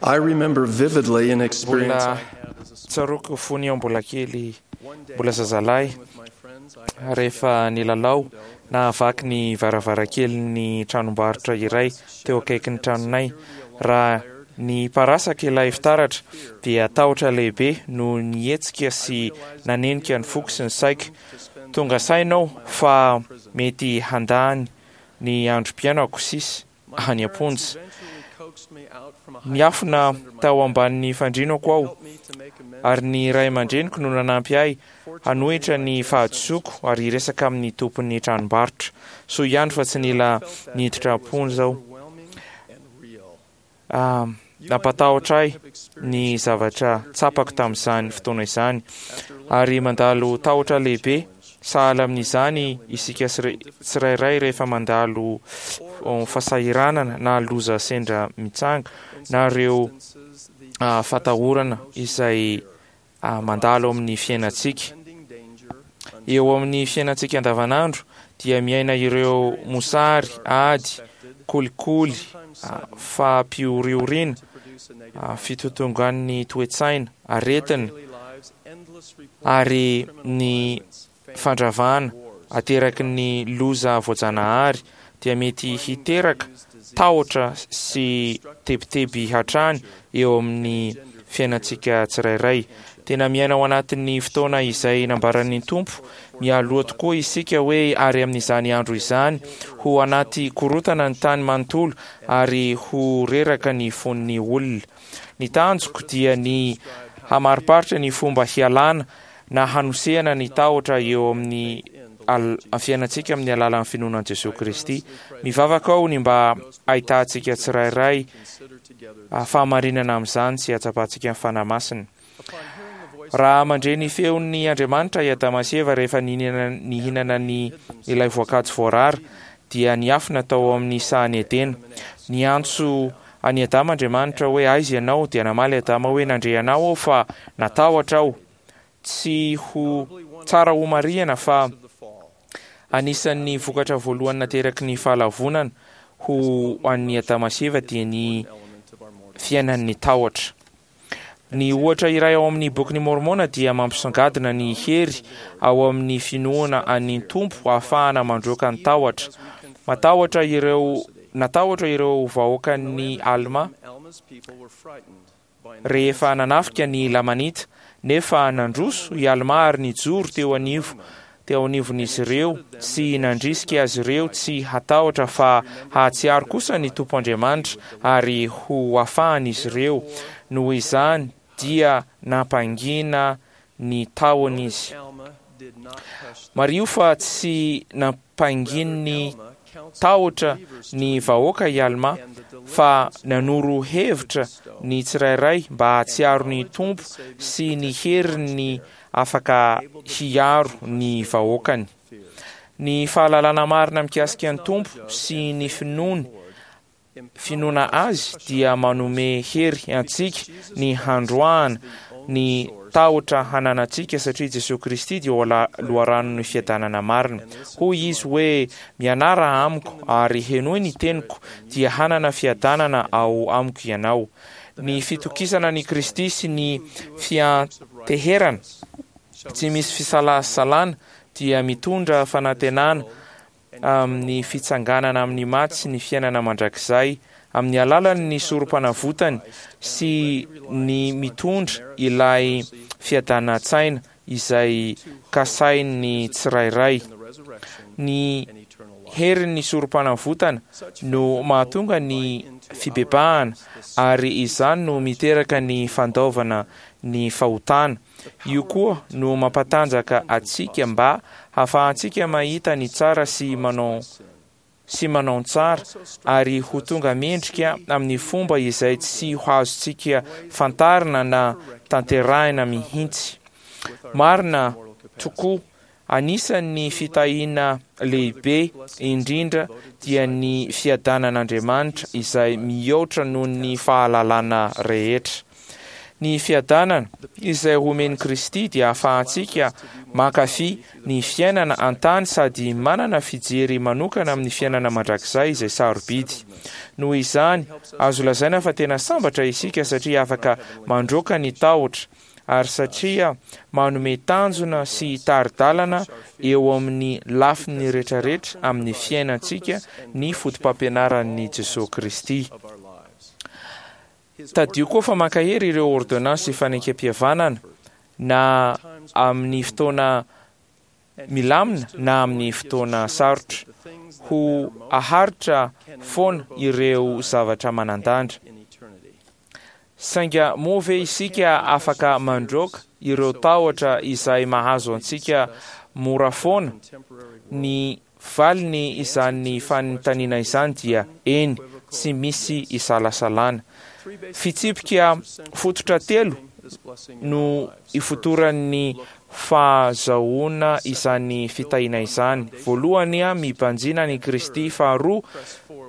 I remember vividly an experience Mbola tsaroako fony aho mbola kely, mbola zazalahy, rehefa nilalao nahavaky ny varavarankelin'ny tranombarotra iray teo akaikin'ny tranonay. Raha niparasaka ilay fitaratra dia tahotra lehibe no nihetsika sy nanenika ny foko sy ny saiko. Tonga saina aho fa mety handany ny androm-piainako sisa any am-ponja. Niafina tao ambanin'ny fandrinako aho, ary ny ray aman-dreniko no nanampy ahy hanohitra ny fahadisoako ary hiresaka amin'ny tompon'ny tranombarotra. Soa ihany fa tsy nila niditra am-ponja aho. Nampatahotra ahy ny zavatra tsapako tamin'izany fotoana izany, ary mandalo tahotra lehibe sahala amin'izany isika tsirairay rehefa mandalo fahasahiranana na loza sendra mitsanga na ireo fatahorana izay mandalo amin'ny fiainantsika. Eo amin'ny fiainantsika andavanandro dia miaina ireo mosary, ady, kolikoly, fampihorihoriana, fitotongan'ny toe-tsaina, aretina ary ny fandravana ateraky ny loza voajanahary dia mety hiteraka tahotra sy tebiteby hatrany eo amin'ny fiainantsika tsirairay. Tena miaina ao anatin'ny fotoana izay nambaran'ny Tompo mialoha tokoa isika hoe ary amin'izany andro izany ho anaty korotana ny tany manontolo ary ho reraka ny fon'ny olona. Ny tanjoko dia ny hamariparitra ny fomba hialana na hanosehana ny tahotra eo amin'ny fiainantsika amin'ny alalan'ny finoana an'i Jesoa Kristy. Mivavaka aho ny mba hahitantsika tsirairay fahamarinana amin'izany sy hahatsapantsika ny Fanahy Masina. Raha mandre ny feon'ny Andriamanitra i Adama sy Eva rehefa nihinana ny ilay voankazo voarara, dia niafina tao amin'ny sahan'i Edena. Niantso an'i Adama Andriamanitra hoe, Aiza ianao? Dia namaly Adama hoe, Nandre anao aho fa natahotra aho. Tsy ho tsara homarihana fa anisan'ny vokatra voalohany nateraky ny fahalavonana ho an'i Adama sy Eva dia ny fiainan'ny tahotra. Ny ohatra iray ao amin'ny Bokin'i Môrmôna dia mampisongadina ny hery ao amin'ny finoana an'ny Tompo ahafahana mandroaka ny tahotra. Matahotra ireo natahotra ireo vahoakan'i Almà rehefa nanafika ny Lamanita, nefa nandroso i Almà ary nijoro teo anivo teo anivon'izy ireo sy nandrisika azy ireo tsy hatahotra fa hahatsiaro kosa ny Tompo Andriamanitra ary ho afahany izy ireo, noho izany dia nampangina ny tahony izy. Mariho fa tsy nampangin'ny tahotra ny vahoaka i Almà fa nanoro hevitra ny tsirairay mba hahatsiaro ny Tompo sy ny heriny afaka hiaro ny vahoakany. Ny fahalalana marina mikasika ny Tompo sy ny finoany finoana Azy dia manome hery antsika ny handroahana ny tahotra hananantsika satria Jesoa Kristy dia loharanon'ny fiadanana marina. Hoy Izy hoe, Mianara amiko ary henoy ny teniko dia hanana fiadanana ao amiko ianao. Ny fitokisana an'i Kristy sy ny fianteherana tsy misy fisalasalana dia mitondra fanantenana amin'ny fitsanganana amin'ny maty sy ny fiainana mandrakizay amin'ny alalan'ny sorompanavotany sy ny mitondra ilay fiadanan-tsaina izay kasain'ny tsirairay. Ny herin'ny sorompanavotana no mahatonga ny fibebahana ary izany no miteraka ny fandaovana ny fahotana. Io koa no mampatanjaka antsika mba hahafahantsika mahita ny tsara sy manao sy manao ny tsara ary ho tonga mendrika amin'ny fomba izay tsy ho azontsika fantarina na tanterahina mihitsy. Marina tokoa, anisan'ny fitahiana lehibe indrindra dia ny fiadanan'Andriamanitra izay mihoatra noho ny fahalalana rehetra. Ny fiadanana izay omen'i Kristy dia ahafahantsika mankafy ny fiainana an-tany sady manana fijery manokana amin'ny fiainana mandrakizay izay sarobidy. Noho izany, azo lazaina fa tena sambatra isika satria afaka mandroaka ny tahotra ary satria manome tanjona sy tari-dalana eo amin'ny lafiny rehetrarehetra amin'ny fiainantsika ny fotopampianaran'i Jesoa Kristy. Tadidio koa fa mankahery ireo ôrdônansy fanekempihavanana na amin'ny fotoana milamina na amin'ny fotoana sarotra. Ho aharitra foana ireo zavatra manan-danja. Sainga moa ve isika afaka mandroaka ireo tahotra izay mahazo antsika mora foana? Ny valiny izany fanontaniana izany dia eny, tsy misy isalasalana. Fitsipika fototra telo no ifotoran'ny fahazahoana izany fitahiana izany. Voalohany, mibanjina an'i Kristy. Faharoa,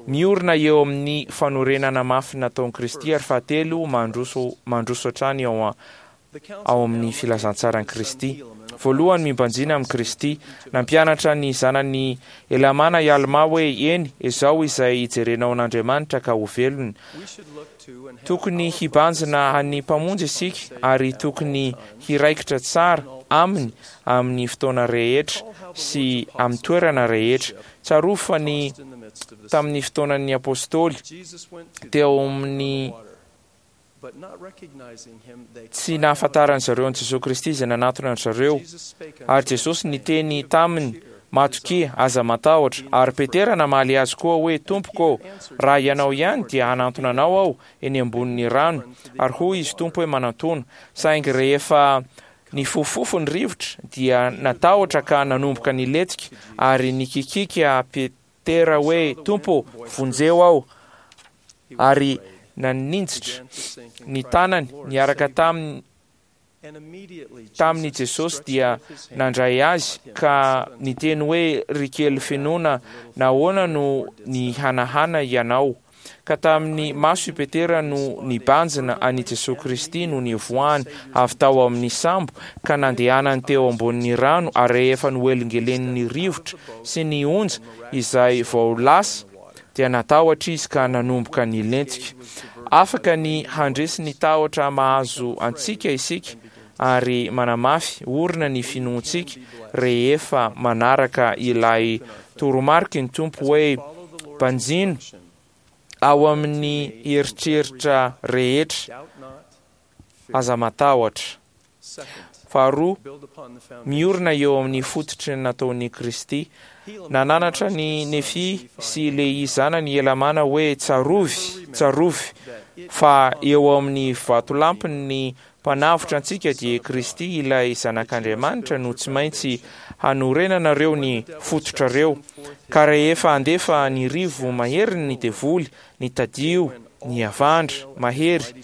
miorina eo amin'ny fanorenana mafy nataon'i Kristy. Ary fahatelo, mandroso mandroso hatrany ao ao amin'ny filazantsaran'i Kristy. Voalohany, mibanjina amin'i Kristy. Nampianatra ny zanany Helamàna i Almà hoe, Eny, ezao izay hijerenao an'Andriamanitra ka ho velona. Tokony hibanjina an'ny Mpamonjy isika ary tokony hiraikitra tsara Aminy amin'ny fotoana rehetra sy amin'ny toerana rehetra. Tsarovy fa ny tamin'ny fotoanan'ny Apôstôly, teo amin'ny tsy nahafantaran-dry zareo an'i Jesoa Kristy izay nanatona an-dry zareo. Ary Jesosy niteny taminy, Matokia, aza matahotra. Ary Petera namaly Azy koa hoe, Tompoko ô, raha Ianao ihany, dia hanantona Anao aho eny ambonin'ny rano. Ary hoy Izy Tompo hoe, Manantona. Saingy rehefa nifofofofo ny rivotra, dia natahotra ka nanomboka nilentika, ary nikikiaka Petera hoe, Tompo ô, vonjeo aho. Ary naninjitra ny tanany niaraka taminy Taminy Jesosy dia nandray azy ka niteny hoe, Ry kely finoana, nahoana no nihanahana ianao? Ka tamin'ny maso i Petera no nibanjina an'i Jesoa Kristy no nivoahany avy tao amin'ny sambo ka nandehanany teo ambonin'ny rano ary rehefa nohelingelenin'ny rivotra sy ny onja izay vao lasa dia natahotra izy ka nanomboka nilentika. Afaka ny handresy ny tahotra mahazo antsika isika ary manamafy orina ny finoantsika rehefa manaraka ilay toromariky ny Tompo hoe banjino ao amin'ny eritreritra rehetra, aza matahotra. Faharoa, miorina eo amin'ny fototry ny nataon'i Kristy. Nananatra an'i Nefia sy Lehia zanany i Helamàna hoe, Tsarovy, tsarovy, fa eo amin'ny vatolampin'ny Mpanavotra antsika, dia i Kristy ilay Zanak'Andriamanitra, no tsy maintsy hanorenanareo ny fototrareo. Ka rehefa handefa ny rivo maheriny ny devoly, ny tadio, ny havandra mahery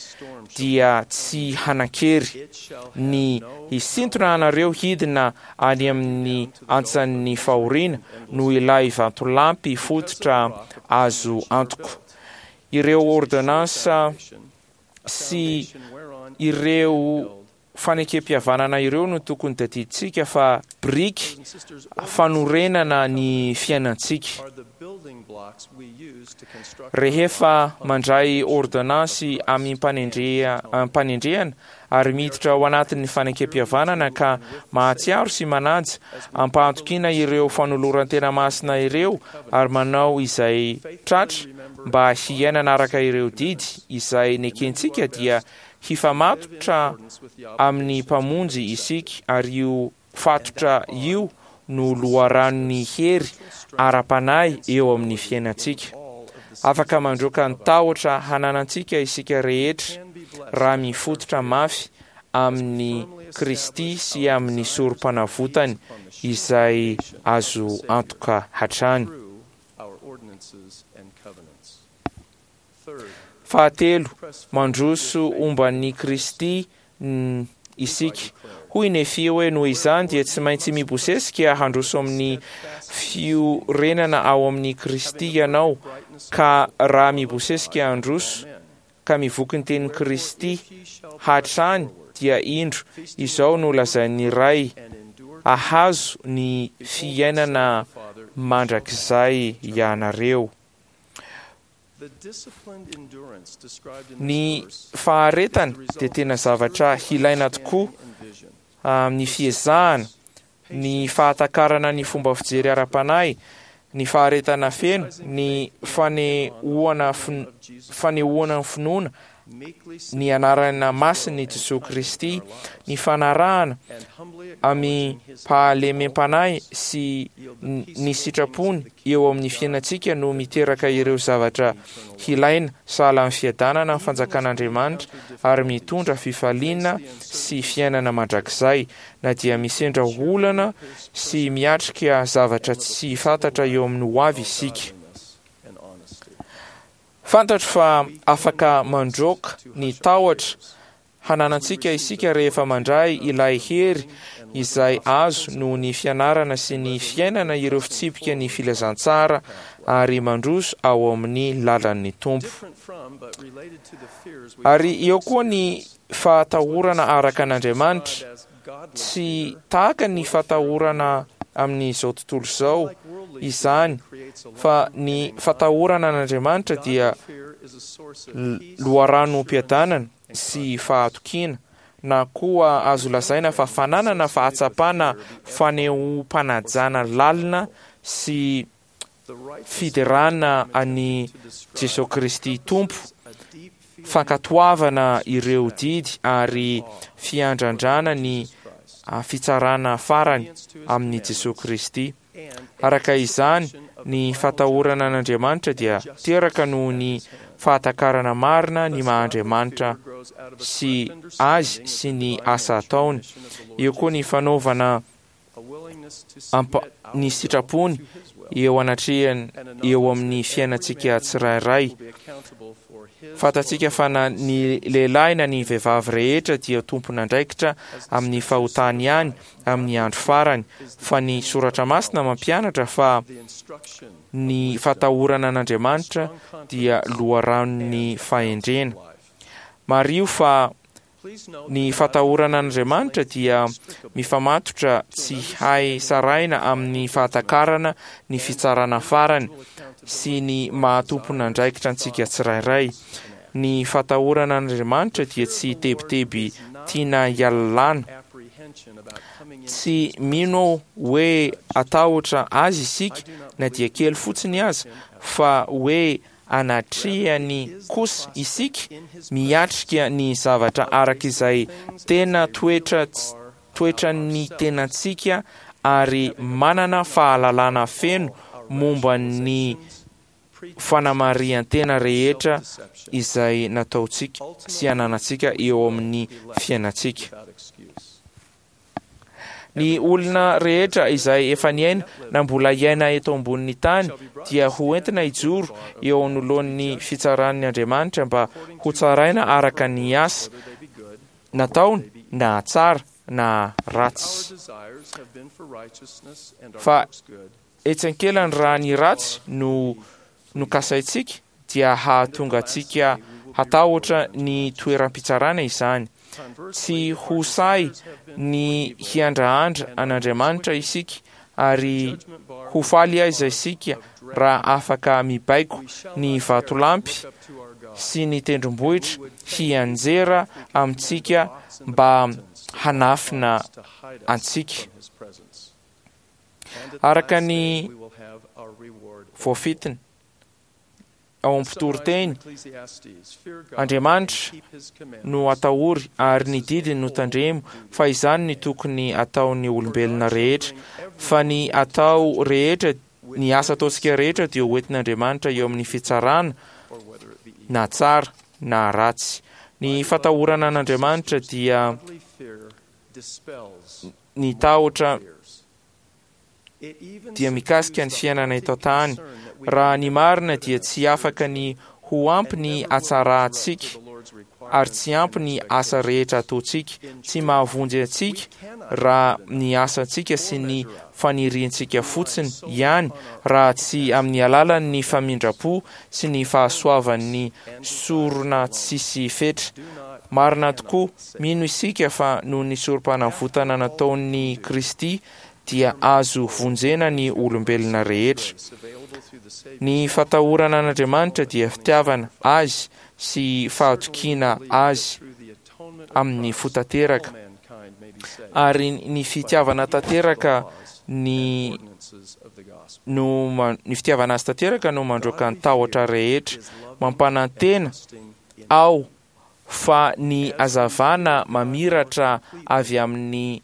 dia tsy hanan-kery ny hisintona anareo hidina any amin'ny antsan'ny fahoriana noho ilay vatolampy fototra azo antoko. Ireo ôrdônansa sy ireo Fanekempihavanana ireo no tokony tadidintsika fa biriky fanorenana ny fiainantsika. Rehefa mandray ôrdônansy amim-panendrehana ary miditra ao anatin'ny fanekempihavanana ka mahatsiaro sy manaja am-pahatokiana ireo fanoloran-tena masina ireo ary manao izay tratra mba hiainana araka ireo didy izay nekentsika dia Hifamatotra amin'ny Mpamonjy isika ary io fatotra io no loharanon'ny hery ara-panahy eo amin'ny fiainantsika. Afaka mandroaka ny tahotra hananantsika isika rehetra raha mifototra mafy amin'i Kristy sy amin'ny Sorompanavotany izay azo antoka hatrany. Fahatelo, mandroso omban'i Kristy isika. Hoy Nefia hoe, Noho izany dia tsy maintsy mibosesika handroso amin'ny fiorenana ao amin'i Kristy ianao, ka raha mibosesika handroso, ka mivoky ny tenin'i Kristy hatrany dia indro izao no lazain'ny Ray, Hahazo ny fiainana mandrakizay ianareo. Ny faharetana dia tena zavatra hilaina tokoa amin'ny fiezahana, ny fahatakarana ny fomba fijery ara-panahy, ny faharetana feno, ny fanehoana fanehoana ny finoana ny anarana masin'i Jesoa Kristy, ny fanarahana amim-pahalemem-panahy sy ny sitrapony eo amin'ny fiainantsika no miteraka ireo zavatra hilaina sahala amin'ny fiadanana ny fanjakan'Andriamanitra ary mitondra fifaliana sy fiainana mandrakizay na dia misendra olana sy miatrika zavatra tsy fantatra eo amin'ny hoavy isika. Fantatro fa afaka mandroaka ny tahotra hananantsika isika rehefa mandray ilay hery izay azo noho ny fianarana sy ny fiainana ireo fitsipika ny filazantsara ary mandroso ao amin'ny lalan'ny Tompo. Ary eo koa ny fahatahorana araka an'Andriamanitra, tsy tahaka ny fatahorana amin'izao tontolo izao izany, fa ny fatahorana an'Andriamanitra dia loharanom-piadanana sy fahatokiana, na koa azo lazaina fa fananana fahatsapana fanehoam-panajana lalina sy fiderana an'i Jesoa Kristy Tompo, fankatoavana ireo didy ary fiandrandrana ny fitsarana farany amin'i Jesoa Kristy. Araka izany, ny fatahorana an'Andriamanitra dia teraka noho ny fahatakarana marina ny maha-Andriamanitra sy Azy sy ny asa ataony. Eo koa ny fanaovana ampa ny sitrapony eo anatrehany eo amin'ny fiainantsika tsirairay. Fantatsika fa na ny lehilahy na ny vehivavy rehetra dia tompon'andraikitra amin'ny fahotany ihany amin'ny andro farany, fa ny Soratra Masina mampianatra fa ny fatahorana an'Andriamanitra dia loharanon'ny fahendrena. Mariho fa Ny fatahorana an'Andriamanitra dia mifamatotra tsy hay sarahina amin'ny fahatakarana ny fitsarana farany sy ny maha tompon'andraikitra antsika tsirairay. Ny fatahorana an'Andriamanitra dia tsy tebiteby tiana hialalana. Tsy mino aho hoe hatahotra Azy isika na dia kely fotsiny aza, fa hoe anatrehany kosa isika miatrika ny zavatra araka izay tena toetra toetran'ny tenantsika ary manana fahalalana feno momba ny fanamarihan-tena rehetra izay nataontsika sy ananantsika eo amin'ny fiainantsika. Ny olona rehetra izay efa niaina na mbola hiaina eto ambonin'ny tany dia ho entina hijoro eo anoloan'ny fitsaran'ny Andriamanitra mba hotsaraina araka ny asa nataony na tsara na ratsy. Fa etsy ankilany raha ny ratsy no nokasaintsika dia hahatonga antsika hatahotra ny toeram-pitsarana izany. Tsy ho sahy ny hiandrahandra an'Andriamanitra isika ary ho faly aiza isika raha afaka mibaiko ny vatolampy sy ny tendrombohitra hianjera amintsika mba hanafina antsika. Araka ny voafintina ao amin'ny mpitoriteny, Andriamanitra no atahory ary ny didiny no tandremo fa izany ny tokony ataon'ny olombelona rehetra fa ny atao rehetra ny asa ataontsika rehetra dia hoentin'Andriamanitra eo amin'ny fitsarana na tsara na ratsy. Ny fatahorana an'Andriamanitra dia Ny tahotra dia mikasika ny fiainana eto an-tany. Raha ny marina dia tsy afaka ny ho ampy ny hatsarantsika ary tsy ampy ny asa rehetra ataontsika. Tsy mahavonjy antsika raha ny asantsika sy ny. faniriantsika fotsiny ihany raha tsy amin'ny alalan'ny famindram-po sy ny fahasoavan'ny sorona tsisy fetra. Marina tokoa, mino isika fa noho ny sorom-panavotana nataon'i Kristy dia azo vonjena ny olombelona rehetra. Ny fatahorana an'Andriamanitra dia fitiavana Azy sy fahatokiana Azy amin'ny fo tanteraka, ary ny fitiavana tanteraka ny no ny fitiavana Azy tanteraka no mandroaka ny tahotra rehetra. Mampanantena aho fa ny hazavana mamiratra avy amin'ny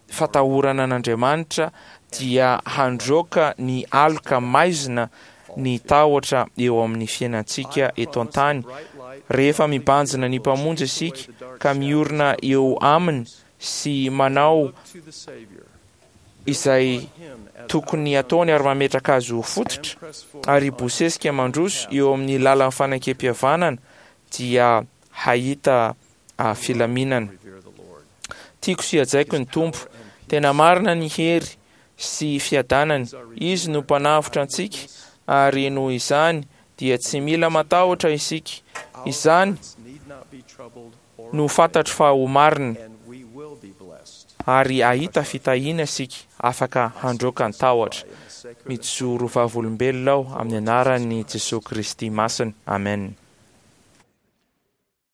fatahorana an'Andriamanitra dia handroaka ny aloka maizina ny tahotra eo amin'ny fiainantsika eto an-tany. Rehefa mibanjina ny Mpamonjy isika ka miorina eo Aminy sy manao izay tokony hataony ary mametraka azy ho fototra ary hibosesika mandroso eo amin'ny lalan'ny fanekempihavanana dia hahita filaminana. Tiako sy hajaiko ny Tompo. Tena marina ny hery sy fiadanany. Izy no Mpanavotra antsika ary noho izany dia tsy mila matahotra isika. Izany no fantatro fa ho marina ary hahita fitahiana isika afaka handroaka ny tahotra. Mijoro vavolombelona aho amin'ny anaran'i Jesoa Kristy Masina. Amen.